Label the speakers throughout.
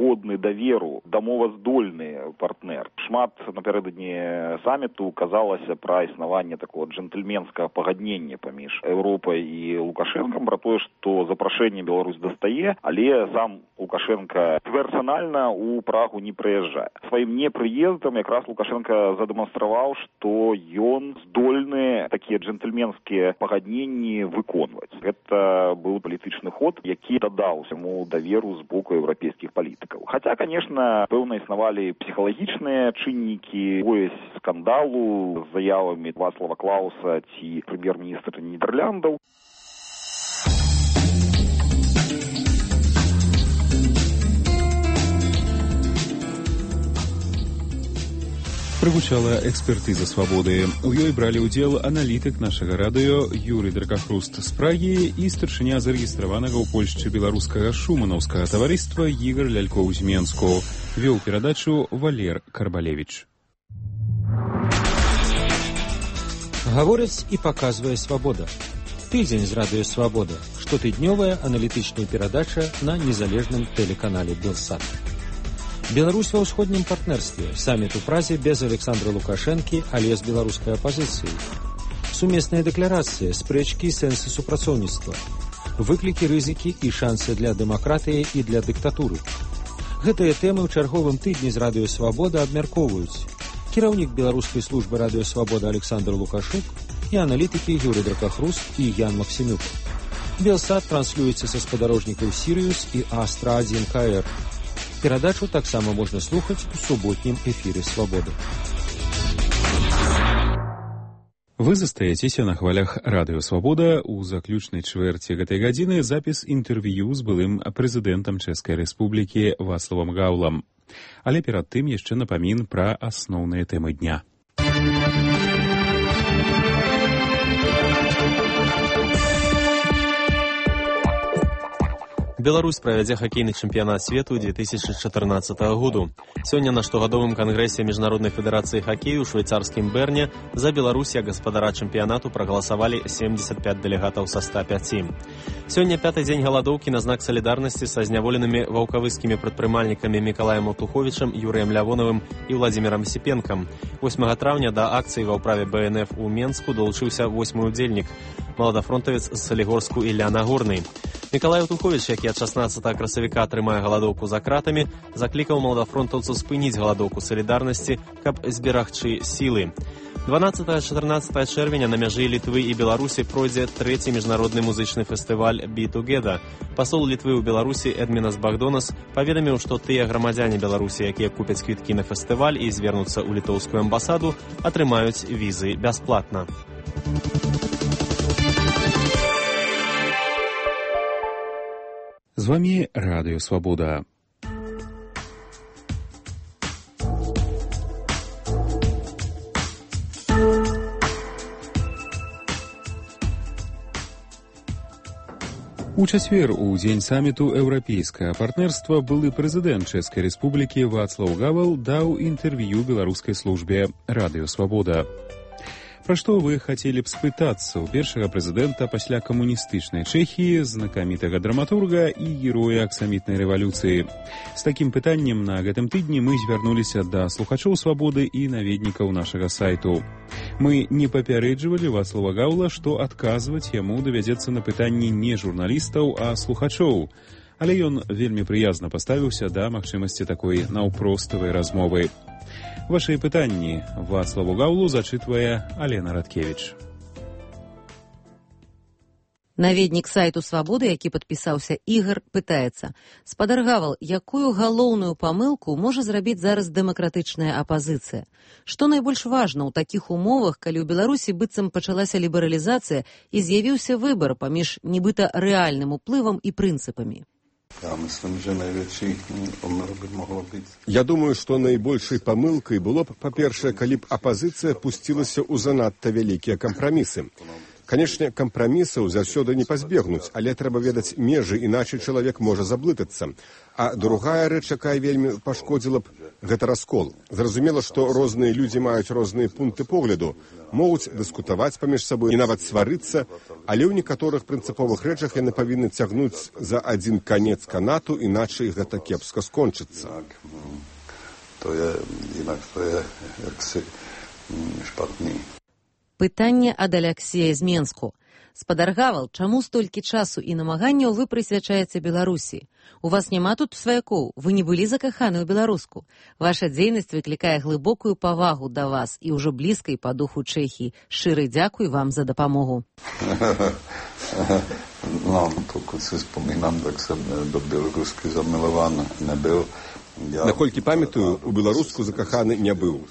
Speaker 1: годны даверу, дамоваздольны партнер. Шмат напярэдадні саміту казалася пра існаванне такого джентльменскага пагаднення паміж Еўропай і Лукашэнкам пра тое, што запрашэнне Беларусь дастае, але сам Лукашенко персанальна ў Прагу не прыязджае. Сваім непрыездам якраз Лукашенко задэманстраваў, што ён здольны такія джентльменскія пагадненні выконваць. Гэта быў палітычны ход, які дадаў яму даверу з боку еўрапейскіх палітыкаў. Хаця, конечно, пэўна існавалі псіхалагічныя чыннікі, пояс скандалу з заявамі Вацлава Клауса ці прэм'ер-міністра Нідэрляндаў.
Speaker 2: Прагучала экспертыза «Свабоды». У ёй бралі ўдзел аналітык нашага радыё Юрый Дракахруст з Прагі і старшыня зарэгістраванага ў Польшчы беларускага шуманаўскага таварыства Ігар Лялькоў з Менску. Вёў перадачу Валер Карбалевіч.
Speaker 3: Гаворыць і паказвае «Свабода». Тыдзень з радыё «Свабода». Штотыднёвая аналітычная перадача на незалежным тэлеканале «Белсат». Беларусь ва ўсходнім партнерстве. Саміт у Празе без Александра Лукашэнкі, але з беларускай апазіцыяй. Сумесная дэкларацыя, спрэчкі і сэнсы супрацоўніцтва. Выклікі, рызыкі і шансы для дэмакратыі і для дыктатуры. Гэтыя тэмы ў чарговым тыдні з радыё «Свабода» абмяркоўваюць кіраўнік беларускай службы радыё «Свабода» Александр Лукашук і аналітыкі Юрый Дракахруст і Ян Максімюк. Белсат транслюецца са спадарожнікаў «Сірыус» і «Астра-1 КР». Перадачу таксама можна слухаць у суботнім эфіры «Свабоды».
Speaker 2: Вы застаецеся на хвалях радыё «Свабода». У заключнай чвэрці гэтай гадзіны запіс інтэрв'ю з былым прэзідэнтам Чэшскай Рэспублікі Вацлавам Гаўлам. Але перад тым яшчэ напамін пра асноўныя тэмы дня.
Speaker 4: Беларусь правядзе хакейны чэмпіянат свету 2014 году. Сёння на штогадовым кангрэсе Міжнароднай федэрацыі хакею ў швейцарскім Берне за Беларусь як гаспадара чэмпіянату прагаласавалі 75 дэлегатаў са 105. Сёння пяты дзень галадоўкі на знак салідарнасці са зняволенымі ваўкавыскімі прадпрымальнікамі Мікалаем Аўтуховічам, Юрыем Лявонавым і Владзімірам Сіпенкам. 8 траўня да акцыі ва ўправе БНФ у Менску далучыўся 8-й удзельнік, маладафронтавец з Салігорску Ілля Нагорны. Мікалай Аўтуховіч, які ад 16 красавіка трымае галадоўку за кратамі, заклікаў маладафронтаўцаў спыніць галадоўку салідарнасці, каб зберагчы сілы. 12-14 чэрвеня на мяжы Літвы і Беларусі пройдзе трэці міжнародны музычны фестываль «Be Together». Пасол Літвы ў Беларусі Эдмінас Багдонас паведаміў, што тыя грамадзяне Беларусі, якія купяць квіткі на фестываль і звернуцца ў літоўскую амбасаду, атрымаюць візы бясплатна.
Speaker 2: З вами радыё «Свабода». У чацвер, у дзень саміту еўрапейскага партнерства, былы прэзідэнт Чэшскай Рэспублікі Вацлаў Гавал даў інтэрв'ю беларускай службе радыё «Свабода». Пра што вы хацелі б спытацца ў першага прэзідэнта пасля камуністычнай Чэхіі, знакамітага драматурга і героя аксамітнай рэвалюцыі? З такім пытаннем на гэтым тыдні мы звярнуліся да слухачоў «Свабоды» і наведнікаў нашага сайту. Мы не папярэджвалі Вацлава Гаўла, што адказваць яму давядзецца на пытанні не журналістаў, а слухачоў. Але ён вельмі прыязна паставіўся да магчымасці такой наўпроставай размовы. Вашыя пытанні Вацлаву Гаўлу зачытвае Алена Радкевіч.
Speaker 5: Наведнік сайту «Свабоды», які падпісаўся Ігар, пытаецца: «Спадар Гавал, якую галоўную памылку можа зрабіць зараз дэмакратычная апазіцыя? Што найбольш важна ў такіх умовах, калі ў Беларусі быццам пачалася лібералізацыя і з'явіўся выбар паміж нібыта рэальным уплывам і прынцыпамі?»
Speaker 6: Я думаю, што найбольшай памылкай было б, па-першае, калі б апазіцыя пусцілася ў занадта вялікія кампрамісы. Канешне, кампрамісаў заўсёды не пазбегнуць, але трэба ведаць межы, іначай чалавек можа заблытацца. А другая рэч, якая вельмі пашкодзіла б, гэта раскол. Зразумела, што розныя людзі маюць розныя пункты погляду, могуць дыскутаваць паміж сабой і нават сварыцца, але ў некаторых прынцыповых рэчах яны павінны цягнуць за адзін канец канату, іначай гэта кепска скончыцца.
Speaker 5: Пытанне ад Аляксея з Менску. Спадар Гавал, чаму столькі часу і намаганняў вы прысвячаеце Беларусі? У вас няма тут сваякоў, вы не былі закаханы ў беларуску. Ваша дзейнасць выклікае глыбокую павагу да вас і ўжо блізкай па духу Чэхіі. Шчыры дзякуй вам за дапамогу.
Speaker 7: Pokud si vzpomínám, tak jsem do Bělorusky zamilován nebyl.
Speaker 6: Наколькі памятаю, у беларуску закаханы не быў.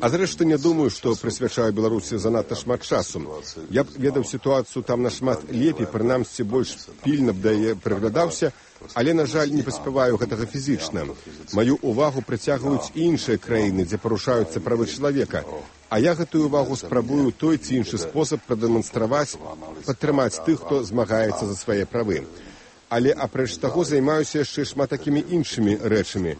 Speaker 6: А зрэшты, не думаю, што прысвячаю Беларусі занадта шмат часу. Я б ведаў сітуацыю там нашмат лепей, прынамсі больш пільна б да яе прыглядаўся, але, на жаль, не паспяваю гэтага фізічна. Маю ўвагу прыцягваюць іншыя краіны, дзе парушаюцца правы чалавека. А я гэтую ўвагу спрабую той ці іншы спосаб прадэманстраваць, падтрымаць тых, хто змагаецца за свае правы. Але апрэч таго займаюся яшчэ шматакімі іншымі рэчамі.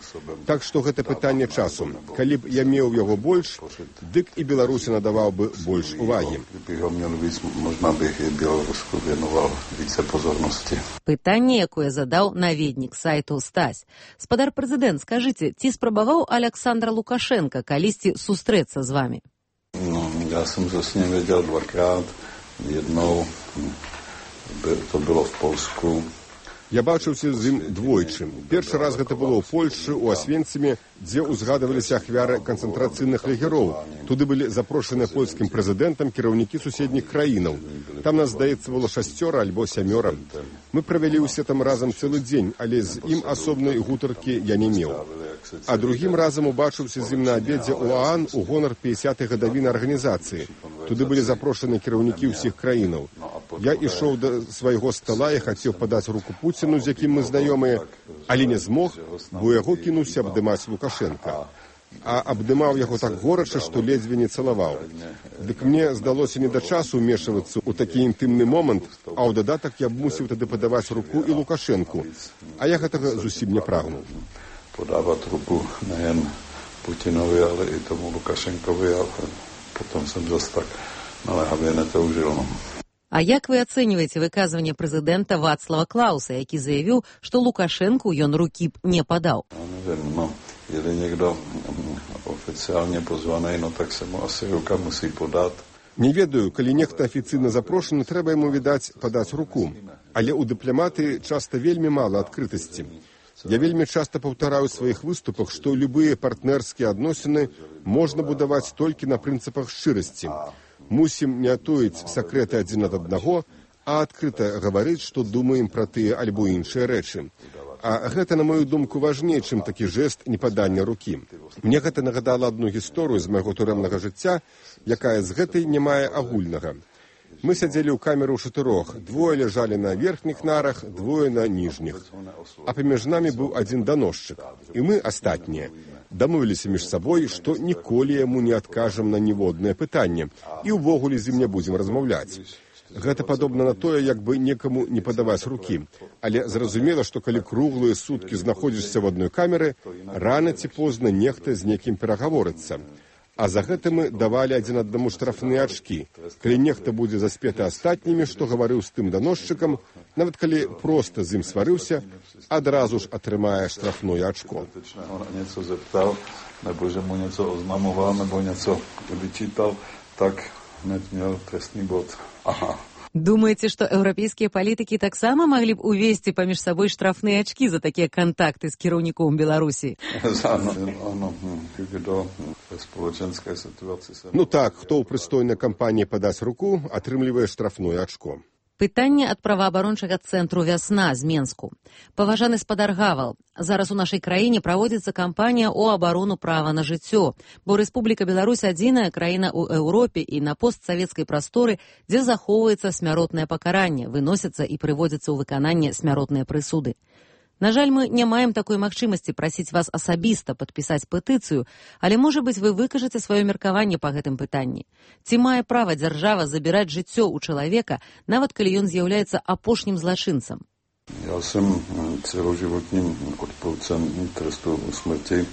Speaker 6: Так што гэта пытанне часу. Калі б я меў яго больш, дык і Беларусі надаваў бы больш увагі.
Speaker 5: Пытанне, якое задаў наведнік сайту Стась. Спадар прэзідэнт, скажыце, ці спрабаваў Аляксандр Лукашенко калісьці сустрэцца з вамі?
Speaker 7: Я сам за с ним видел двакрат. Jednou to было в Polsku.
Speaker 6: Я бачыўся з ім двойчы. Першы раз гэта было ў Польшчы, у Асвенцыме, дзе ўзгадываліся ахвяры канцэнтрацыйных лагероў. Туды былі запрошаныя польскім прэзідэнтам кіраўнікі суседніх краінаў. Там нас, здаецца, было 6 альбо 7. Мы правялі ўсе там разам цэлы дзень, але з ім асобнай гутаркі я не меў. А другім разам убачыўся з ім на абедзе ў ААН у гонар 50-й гадавіны арганізацыі. Туды былі запрошаны кіраўнікі ўсіх краінаў. Я ішоў да свайго стала і хацеў падаць руку Пуціну, з якім мы знаёмыя, але не змог, бо яго кінуўся абдымаць Лукашенка. А абдымаў яго так горача, што ледзьве не цалаваў. Дык мне здалося не да часу ўмешвацца ў такі інтымны момант, а ў дадатак я б мусіў тады падаваць руку і Лукашенку. А я гэтага зусім не прагнуў.
Speaker 7: Podávat ruku nejen Putinovi, ale i tomu Lukašenkovi a potom jsem zase tak naléhavě netoužil.
Speaker 5: А як вы ацэньваеце выказванне прэзідэнта Вацлава Клауса, які заявіў, што Лукашенку ён рукі б не падаў?
Speaker 7: Если někdo oficiálně pozvaný, tak se mu asi ruka musí podat.
Speaker 6: Не ведаю, калі нехта афіцыйна запрошаны, трэба яму, відаць, падаць руку. Але ў дыпламаты часта вельмі мала адкрытасці. Я вельмі часта паўтараю ў сваіх выступах, што любыя партнерскія адносіны можна будаваць толькі на прынцыпах шчырасці. Мусім не туіць сакрэты адзін ад аднаго, а адкрыта гаварыць, што думаем пра тыя альбо іншыя рэчы. А гэта, на мою думку, важней, чым такі жэст непадання рукі. Мне гэта нагадала адну гісторыю з майго турэмнага жыцця, якая з гэтай не мае агульнага. Мы сядзелі ў камеру 4, 2 ляжалі на верхніх нарах, 2 на ніжніх. А паміж намі быў адзін даносчык. І мы, астатнія, дамовіліся між сабой, што ніколі яму не адкажам на ніводнае пытанне і ўвогуле з ім не будзем размаўляць. Гэта падобна на тое, як бы некаму не падаваць рукі. Але зразумела, што калі круглыя суткі знаходзішся в адной камеры, рана ці позна нехта з некім перагаворыцца. А за гэта мы давалі адзін аднаму штрафныя ачкі. Калі нехта будзе заспеты астатнімі, што гаварыў з тым даносчыкам, нават калі проста з ім сварыўся, адразу ж атрымае штрафное ачко.
Speaker 7: Něco zeptal, nebo že mu něco oznamoval, nebo něco vyčítal, tak hned měl trestný bod. Aha.
Speaker 5: Думаеце, што еўрапейскія палітыкі таксама маглі б увесці паміж сабой штрафныя ачкі за такія кантакты з кіраўніком Беларусі?
Speaker 6: Ну так, хто ў прыстойнай кампаніі падаць руку, атрымлівае штрафное ачко.
Speaker 5: Пытанне ад праваабарончага цэнтру «Вясна» з Менску. Паважаны спадар Гавал, зараз у нашай краіне праводзіцца кампанія ў абарону права на жыццё, бо Рэспубліка Беларусь адзіная краіна ў Еўропе і на постсавецкай прасторы, дзе захоўваецца смяротнае пакаранне, выносяцца і прыводзяцца ў выкананне смяротныя прысуды. На жаль, мы не маем такой магчымасці прасіць вас асабіста падпісаць петыцыю, але, можа быць, вы выкажаце сваё меркаванне па гэтым пытанні. Ці мае права дзяржава забіраць жыццё ў чалавека, нават калі ён з'яўляецца апошнім злачынцам?
Speaker 7: Já jsem celoživotním odpůrcem trestu smrti.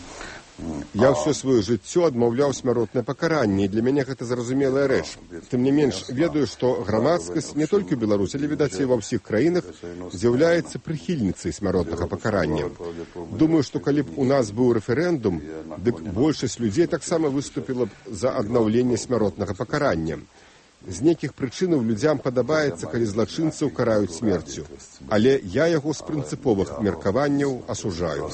Speaker 6: Я ўсё сваё жыццё адмаўляў смяротнае пакаранне, і для мяне гэта зразумелая рэч. Тым не менш, ведаю, што грамадскасць не толькі ў Беларусі, але, відаць, і ва ўсіх краінах з'яўляецца прыхільніцай смяротнага пакарання. Думаю, што калі б у нас быў рэферэндум, дык большасць людзей таксама выступіла б за аднаўленне смяротнага пакарання. З нейкіх прычынаў людзям падабаецца, калі злачынцаў караюць смерцю. Але я яго з прынцыповых меркаванняў асуджаю.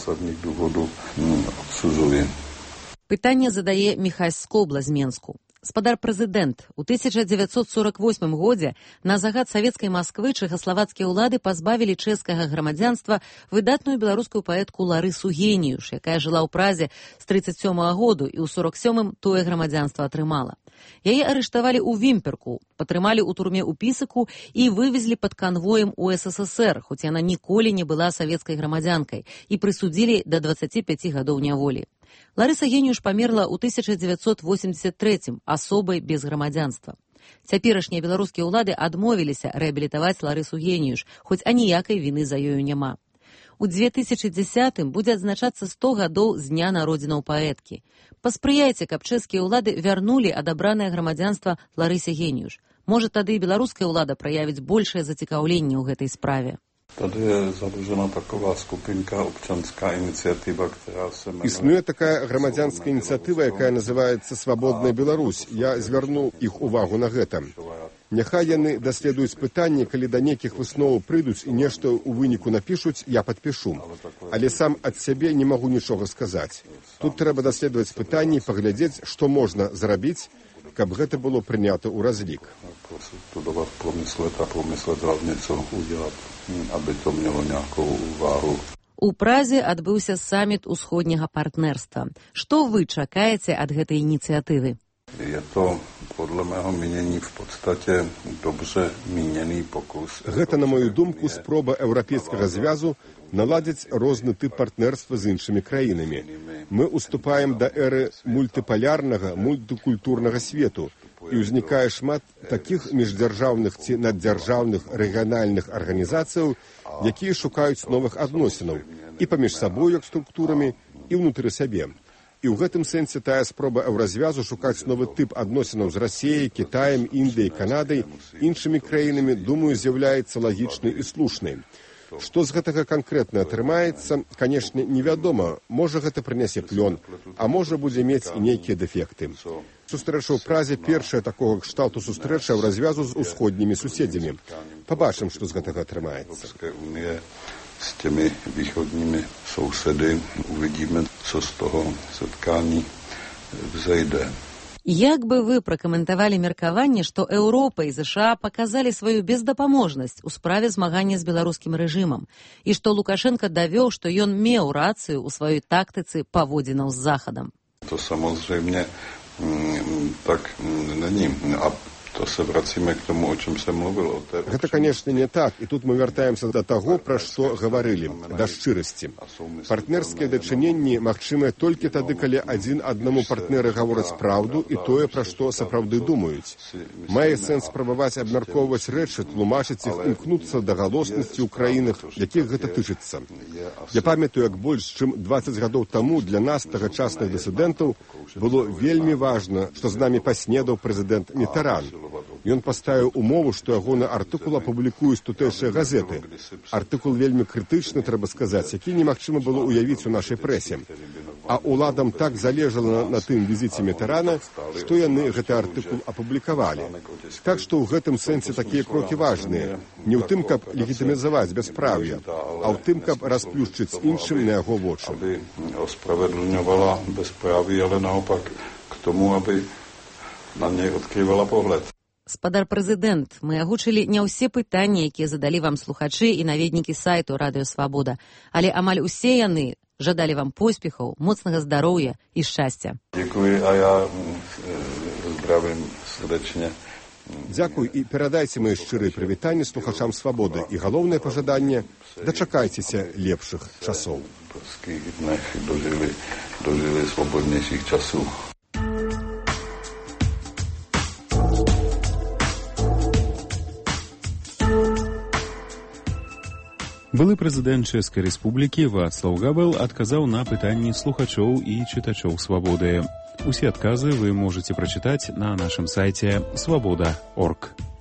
Speaker 5: Пытанне задае Міхась Скобла з Менску. Спадар прэзідэнт, у 1948 годзе на загад савецкай Масквы чэхаславацкія ўлады пазбавілі чэшскага грамадзянства выдатную беларускую паэтку Ларысу Геніюш, якая жыла ў Празе з 1937 году і ў 1947 тое грамадзянства атрымала. Яе арыштавалі ў Вімперку, патрымалі ў турме ў Пісаку і вывезлі пад канвоем у СССР, хоць яна ніколі не была савецкай грамадзянкай, і прысудзілі да 25 гадоў няволі. Ларыса Геніюш памерла ў 1983 асобай без грамадзянства. Цяперашнія беларускія ўлады адмовіліся рэабілітаваць Ларысу Геніюш, хоць аніякай віны за ёю няма. У 2010-м будзе адзначацца 100 гадоў з дня народзінаў паэткі. Паспрыяйце, каб чэшскія ўлады вярнулі адабранае грамадзянства Ларысе Геніюш. Можа, тады і беларуская ўлада праявіць большае зацікаўленне ў гэтай справе.
Speaker 7: Tady je založena taková skupinka občanská iniciativa, která se jmenuje...
Speaker 6: Існує така грамадзянская ініцыятыва, якая называецца «Свабодная Беларусь». Я звярну іх увагу на гэта. Няхай яны даследуюць пытанне, калі да нейкіх высноваў прыйдуць і нешта ў выніку напішуць, я падпішу. Але сам ад сябе не магу нічога сказаць. Тут трэба даследаваць пытанне і паглядзець, што можна зрабіць, каб гэта было прынята ў разлік.
Speaker 7: Promyslet hlavně, co udělat, aby to mělo nějakou váhu.
Speaker 5: У Празе адбыўся саміт усходняга партнерства. Што вы чакаеце ад гэтай ініцыятывы?
Speaker 7: Je to, podle mého mínění, v podstatě dobře míněný pokus.
Speaker 6: Гэта, на мою думку, спроба Еўрапейскага звязу наладзіць розны тып партнерства з іншымі краінамі. Мы уступаем да эры мультыпалярнага, мультыкультурнага свету, і ўзнікае шмат такіх міждзяржаўных ці наддзяржаўных рэгіянальных арганізацыяў, якія шукаюць новых адносінаў і паміж сабой як структурамі, і ўнутры сабе. І ў гэтым сэнсе тая спроба еўразвязу шукаць новы тып адносінаў з Расіяй, Кітаем, Індыяй, Канадай, іншымі краінамі, думаю, з'яўляецца лагічнай і слушнай. Што з гэтага канкрэтна атрымаецца, канешне, невядома. Можа, гэта прынясе плён, а можа, будзе мець і нейкія дэфекты. Сустрэча ў Празе першая такога кшталту сустрэча ў развязу з усходнімі суседзямі. Пабачым, што з гэтага атрымаецца.
Speaker 7: S těmi východními sousedy uvidíme, co z toho setkání vzejde.
Speaker 5: Як бы вы пракаментавалі меркаванне, што Еўропа і ЗША паказалі сваю бездапаможнасць у справе змагання з беларускім рэжымам і што Лукашенко давёў, што ён меў рацыю ў сваёй тактыцы паводзінаў з Захадам?
Speaker 7: To samozřejmě tak není. A to se vracíme k tomu, o čem jsem mluvil.
Speaker 6: Гэта, конечно, не так. І тут мы вяртаемся да таго, пра што гаварылі, да шчырасці. Партнерскія дачыненні магчымыя толькі тады, калі адзін аднаму партнеры гавораць праўду і тое, пра што сапраўды думаюць. Мае сэнс спрабаваць абмяркоўваць рэчы, тлумачыць іх, імкнуцца да галоснасці ў краінах, якіх гэта тычыцца. Я памятаю, як больш чым 20 гадоў таму для нас, тагачасных дысідэнтаў, было вельмі важна, што з намі паснедаў прэзідэнт Мітаран. Ён паставіў умову, што ягоны артыкул апублікуюць тутэйшыя газеты. Артыкул вельмі крытычны, трэба сказаць, які немагчыма было ўявіць у нашай прэсе. А ўладам так залежала на тым візіце Мітарана, што яны гэты артыкул апублікавалі. Так што ў гэтым сэнсе такія крокі важныя. Не ў тым, каб легітымізаваць бяспраўе, а ў тым, каб расплюшчыць іншым на яго вочы.
Speaker 7: Ospravedlňovala bezpráví, ale naopak k tomu, aby на ней odkrývala pohled.
Speaker 5: Спадар прэзідэнт, мы агучылі не ўсе пытанні, якія задалі вам слухачы і наведнікі сайту Радыё Свабода, але амаль усе яны жадалі вам поспехаў, моцнага здароўя і шчасця.
Speaker 7: Dziękuję, a ja zdravím srdečne
Speaker 6: Дзякуй і перадайце мае шчырыя прывітанні слухачам свабоды. І галоўнае пажаданне – дачакайцеся лепшых часоў.
Speaker 7: Дожили свободнейших часов.
Speaker 2: Былы прэзідэнт Чэшскай Рэспублікі Вацлаў Гавел адказаў на пытанні слухачоў і чытачоў свабоды. Усе адказы вы можаце прачытаць на нашым сайце свабода.орг.